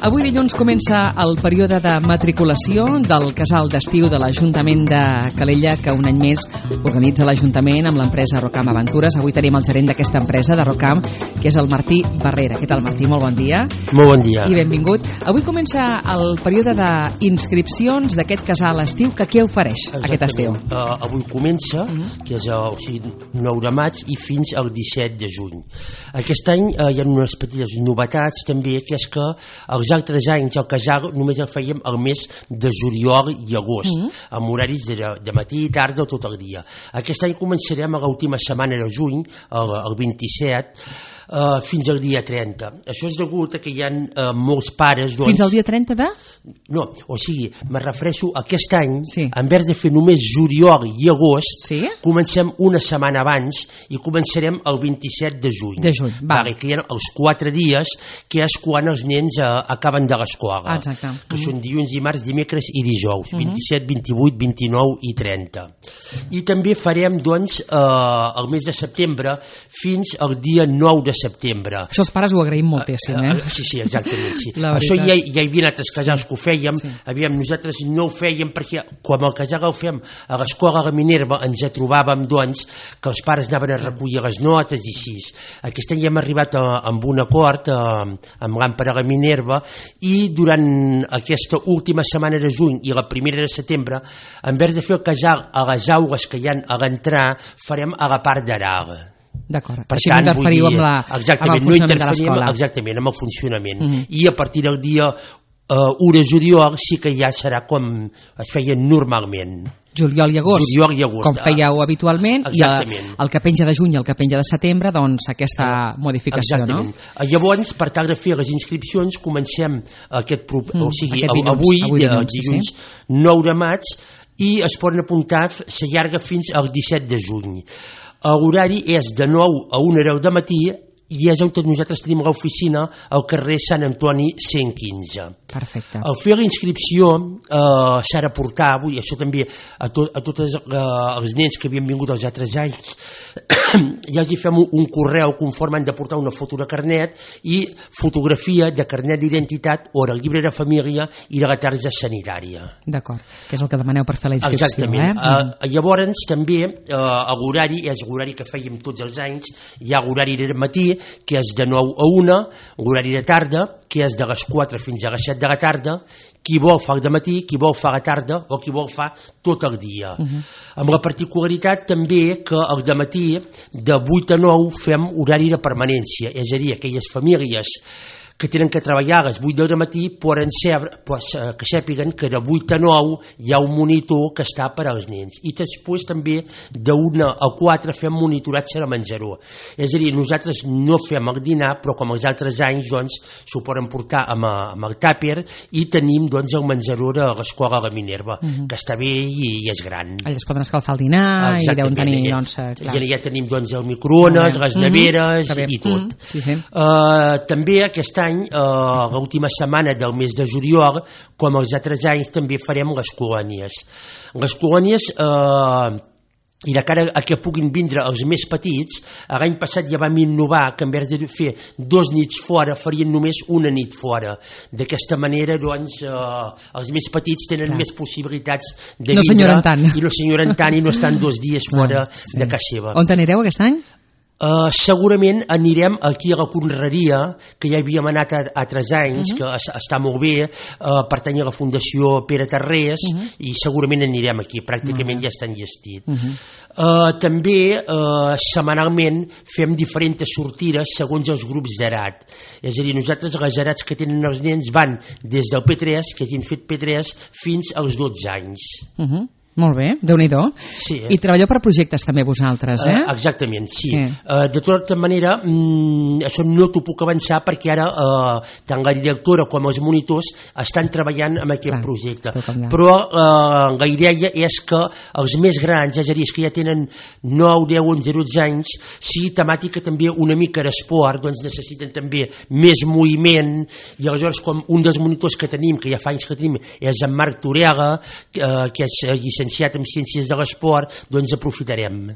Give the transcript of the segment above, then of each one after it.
Avui dilluns comença el període de matriculació del casal d'estiu de l'Ajuntament de Calella, que un any més organitza l'Ajuntament amb l'empresa Rocam Aventures. Avui tenim el gerent d'aquesta empresa, de Rocam, que és el Martí Barrera. Què tal, Martí? Molt bon dia. Molt bon dia. I benvingut. Avui comença el període d'inscripcions d'aquest casal estiu, que què ofereix aquest estiu? Avui comença, que és el 9 de maig i fins al 17 de juny. Aquest any hi ha unes petites novetats també, que és que els altres anys el casal només el fèiem el mes de juliol i agost, amb horaris de matí i tarda o tot el dia. Aquest any començarem a l'última setmana de juny, el 27, fins al dia 30. Això és degut a que hi ha molts pares... Fins al dia 30 de? No, o sigui, me refereixo a aquest any, en vez de fer només juliol i agost, comencem una setmana abans i començarem el 27 de juny. De juny, va. Que hi ha els 4 dies, que és quan els nens acaben de l'escola. Exacte. Que són dilluns, dimarts, dimecres i dijous, 27, 28, 29 i 30. I també farem, doncs, el mes de setembre fins al dia 9 de setembre. Això els pares ho agraïm moltíssim, Sí, exactament, sí. Això ja hi havia altres casals que ho fèiem, nosaltres no ho fèiem perquè quan el casal el fem a l'escola de Minerva ens trobàvem, doncs, que els pares anaven a recollir les notes i així. Aquest any hem arribat amb un acord amb l'Àmpara de Minerva i durant aquesta última setmana de juny i la primera de setembre, en vez de fer el casal a les aules que hi ha a l'entrar, farem a la part d'aral. D'acord, així no interferiu amb el funcionament de l'escola. Exactament, amb el funcionament. I a partir del dia 1 de juliol sí que ja serà com es feia normalment. Juliol i agost, com fèieu habitualment, i el que penja de juny i el que penja de setembre, doncs aquesta modificació, no? Llavors, per tal de fer les inscripcions, comencem avui, dilluns 9 de maig, i es poden apuntar, s'allarga fins al 17 de juny. L'horari és de 9 a 1 de matí i és on nosaltres tenim l'oficina al carrer Sant Antoni 115. Perfecte. Al fer la inscripció s'ha de portar avui, això també a tots els nens que havien vingut els altres anys, ja els fem un correu conforme han de portar una foto de carnet i fotografia de carnet d'identitat o del llibre de família i de la targeta sanitària. D'acord, que és el que demaneu per fer la inscripció. Exactament. Llavors també l'horari és l'horari que fèiem tots els anys, hi ha l'horari de matí, que és de 9 a 1, l'horari de tarda, que és de les 4 fins a les 7 de la tarda, qui vol fa el dematí, qui vol fa la tarda o qui vol fa tot el dia. Amb la particularitat també que el dematí de 8 a 9 fem horari de permanència, és a dir, aquelles famílies que tenen que treballar a les 8 del matí poden que sàpiguen que de 8 a 9 hi ha un monitor que està per als nens. I després també de 1 a 4 fem monitoratge de menjador. És a dir, nosaltres no fem el dinar, però com els altres anys doncs s'ho poden portar amb el tàper i tenim doncs el menjador de l'escola de Minerva, que està bé i és gran. Allà es poden escalfar el dinar i deuen tenir, doncs... Ja tenim doncs el microones, les neveres i tot. També aquest any, l'última setmana del mes de juliol, com els altres anys, també farem les colònies. Les colònies, i de cara a que puguin vindre els més petits, l'any passat ja vam innovar que en vez de fer 2 nits fora farien només una nit fora. D'aquesta manera doncs els més petits tenen més possibilitats de vindre i no s'enyoren tant i no estan 2 dies fora de casa seva. On anireu aquest any? Segurament anirem aquí a la Conreria, que ja havíem anat a 3 anys, que està molt bé, pertany a la Fundació Pere Tarrés, i segurament anirem aquí, pràcticament ja està enllestit. També setmanalment fem diferents sortides segons els grups d'edat. És a dir, nosaltres les edats que tenen els nens van des del P3, que hagin fet P3, fins als 12 anys. Molt bé, Déu-n'hi-do. I treballeu per projectes també vosaltres, eh? Exactament, sí. De tota manera, això no t'ho puc avançar perquè ara tant la directora com els monitors estan treballant en aquest projecte. Però la idea és que els més grans, és a dir, que ja tenen 9, 10, 11, 12 anys, sigui temàtica també una mica d'esport, doncs necessiten també més moviment, i aleshores com un dels monitors que tenim, que ja fa anys que tenim, és en Marc Torega, que és llicenciat en Ciències de l'Esport, doncs aprofitarem.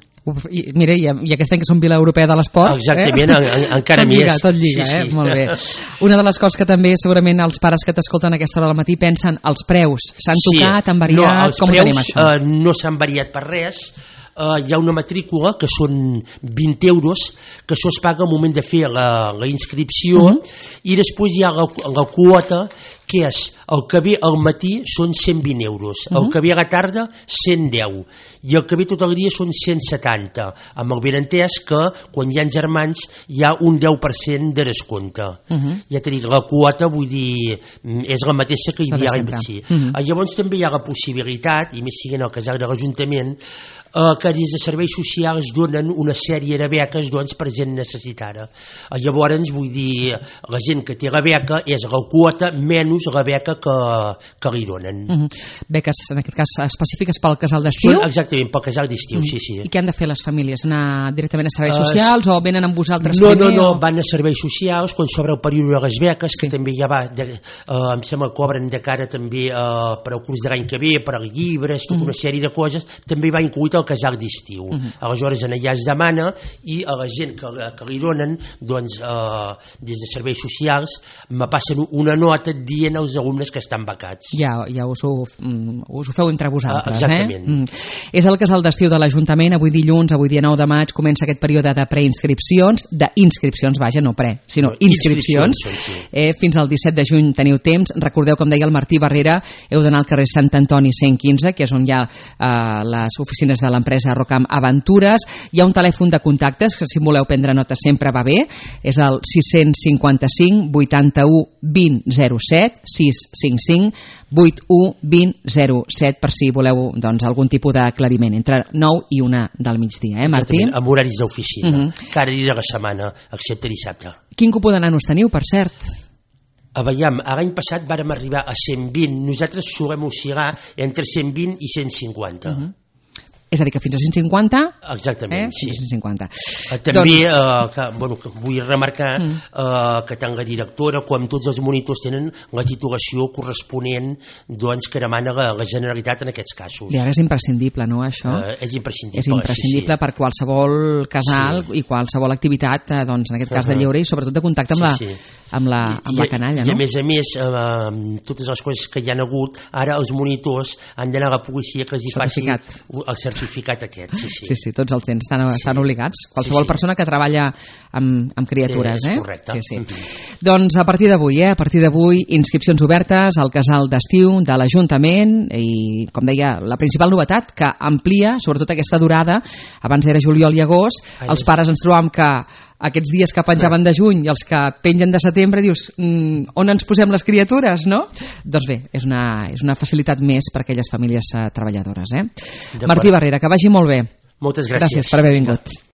Mira, i aquest any que som Vila Europea de l'Esport... Exactament, encara més. Tot lliga, sí. Molt bé. Una de les coses que també segurament els pares que t'escolten a aquesta hora del matí pensen, els preus s'han tocat, han variat, com ho tenim això? No s'han variat per res. Hi ha una matrícula que són 20 euros, que això es paga al moment de fer la inscripció, i després hi ha la quota, que és el que ve al matí són 120 euros, el que ve a la tarda 110, i el que ve tot el dia són 170, amb el benentès que quan hi ha germans hi ha un 10% de descompte. Ja t'he dit, la quota, vull dir, és la mateixa que hi havia l'any. Llavors també hi ha la possibilitat, i més siguent el casal de l'Ajuntament, que des de serveis socials donen una sèrie de beques per gent necessitada. Llavors, vull dir, la gent que té la beca és la quota menys la beca que li donen. Beques, en aquest cas, específiques pel casal d'estiu? Exactament, pel casal d'estiu, sí. I què han de fer les famílies? Anar directament a serveis socials o venen amb vosaltres primer? No, van a serveis socials quan s'obre el període de les beques, que també ja va, em sembla que cobren de cara també per al curs de l'any que ve, per als llibres, tota una sèrie de coses, també va incluït el casal d'estiu. Aleshores allà es demana i a la gent que li donen, doncs des de serveis socials me passen una nota dient als alumnes que estan becats. Ja us ho feu entre vosaltres. Exactament. És el casal d'estiu de l'Ajuntament, avui dilluns, avui dia 9 de maig, comença aquest període de preinscripcions, d'inscripcions, vaja, no pre, sinó inscripcions. Fins al 17 de juny teniu temps. Recordeu, com deia el Martí Barrera, heu d'anar al carrer Sant Antoni 115, que és on hi ha les oficines de l'empresa Rocam Aventures. Hi ha un telèfon de contactes, que si voleu prendre nota sempre va bé, és el 655 81 20 07, 655 81 20 07, per si voleu algun tipus d'aclariment, entre 9 i 1 del migdia, Martí? Exactament, amb horaris d'oficina, cada dia de la setmana, excepte dissabte. Quin cupó de nanos teniu, per cert? Veiem, l'any passat vàrem arribar a 120, nosaltres solem oscil·lar entre 120 i 150. És a dir, que fins a 150... Exactament, sí. Fins a 150. També vull remarcar que tant la directora com tots els monitors tenen la titulació corresponent que demana la Generalitat en aquests casos. I ara és imprescindible, no, això? És imprescindible. És imprescindible per qualsevol casal i qualsevol activitat, en aquest cas de lleure i sobretot de contacte amb la canalla, no? I a més, totes les coses que hi ha hagut, ara els monitors han d'anar a la policia que els hi faci el certificat aquest. Sí, tots els tens, estan obligats. Qualsevol persona que treballa amb criatures. És correcte. Doncs a partir d'avui, inscripcions obertes al casal d'estiu de l'Ajuntament i, com deia, la principal novetat que amplia, sobretot aquesta durada, abans era juliol i agost, els pares ens trobam que aquests dies que penjaven de juny i els que pengen de setembre, dius, on ens posem les criatures, no? Doncs bé, és una facilitat més per a aquelles famílies treballadores. Martí Barrera, que vagi molt bé. Moltes gràcies. Gràcies per haver vingut.